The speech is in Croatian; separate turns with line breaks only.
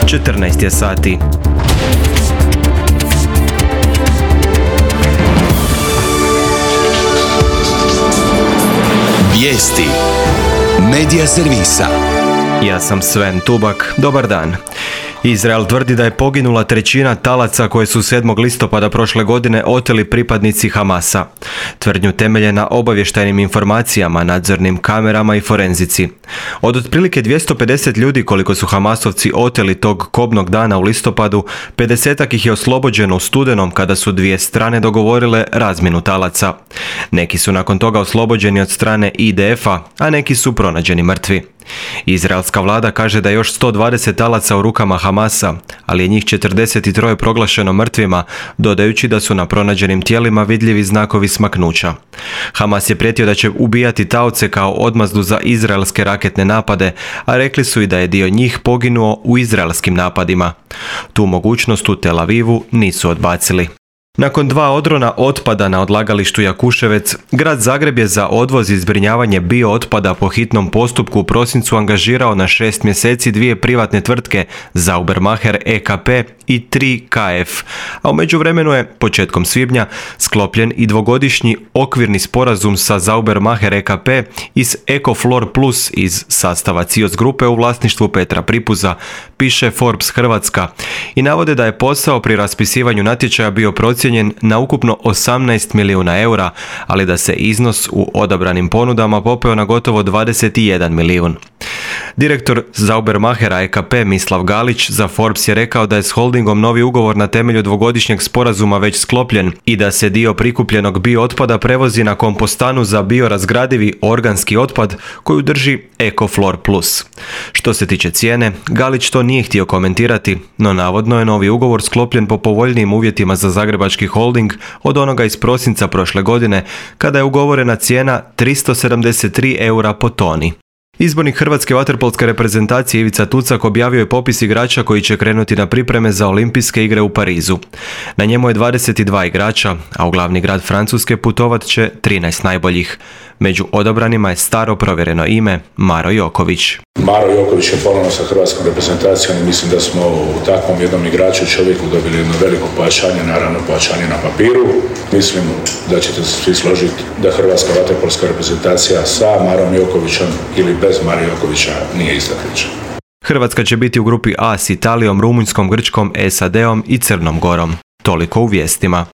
14 je sati.
Vijesti Medija servisa.
Ja sam Sven Tubak. Dobar dan. Izrael tvrdi da je poginula trećina talaca koje su 7. listopada prošle godine oteli pripadnici Hamasa. Tvrdnju temelje na obavještajnim informacijama, nadzornim kamerama i forenzici. Od otprilike 250 ljudi koliko su Hamasovci oteli tog kobnog dana u listopadu, 50-ak ih je oslobođeno u studenom kada su dvije strane dogovorile razmjenu talaca. Neki su nakon toga oslobođeni od strane IDF-a, a neki su pronađeni mrtvi. Izraelska vlada kaže da je još 120 talaca u rukama Hamasa, ali je njih 43 proglašeno mrtvima, dodajući da su na pronađenim tijelima vidljivi znakovi smaknuća. Hamas je prijetio da će ubijati taoce kao odmazdu za izraelske raketne napade, a rekli su i da je dio njih poginuo u izraelskim napadima. Tu mogućnost u Tel Avivu nisu odbacili. Nakon 2 odrona otpada na odlagalištu Jakuševec, grad Zagreb je za odvoz i zbrinjavanje biootpada po hitnom postupku u prosincu angažirao na 6 mjeseci 2 privatne tvrtke, Saubermacher EKP i 3KF, a u međuvremenu je, početkom svibnja, sklopljen i 2-godišnji okvirni sporazum sa Saubermacher EKP iz Ecoflor Plus iz sastava CIOS grupe u vlasništvu Petra Pripuza, piše Forbes Hrvatska, i navode da je posao pri raspisivanju natječaja bio procijenjen na ukupno 18 milijuna eura, ali da se iznos u odabranim ponudama popeo na gotovo 21 milijun. Direktor Saubermachera EKP Mislav Galić za Forbes je rekao da je s holdingom novi ugovor na temelju 2-godišnjeg sporazuma već sklopljen i da se dio prikupljenog biootpada prevozi na kompostanu za biorazgradivi organski otpad koju drži Ecoflor Plus. Što se tiče cijene, Galić to nije htio komentirati, no navodno je novi ugovor sklopljen po povoljnijim uvjetima za zagrebački holding od onoga iz prosinca prošle godine, kada je ugovorena cijena 373 eura po toni. Izbornik hrvatske vaterpolske reprezentacije Ivica Tucak objavio je popis igrača koji će krenuti na pripreme za Olimpijske igre u Parizu. Na njemu je 22 igrača, a u glavni grad Francuske putovat će 13 najboljih. Među odabranima je staro provjereno ime Maro Joković.
Maro Joković je ponovno sa hrvatskom reprezentacijom i mislim da smo u takvom jednom igraču čovjeku dobili jedno veliko pojačanje, naravno pojačanje na papiru. Mislim da ćete se svi složiti da hrvatska vaterpolska reprezentacija sa Marom Jokovićem ili bez Mara Jokovića nije ista priča.
Hrvatska će biti u grupi A s Italijom, Rumunjskom, Grčkom, SAD-om i Crnom Gorom. Toliko u vijestima.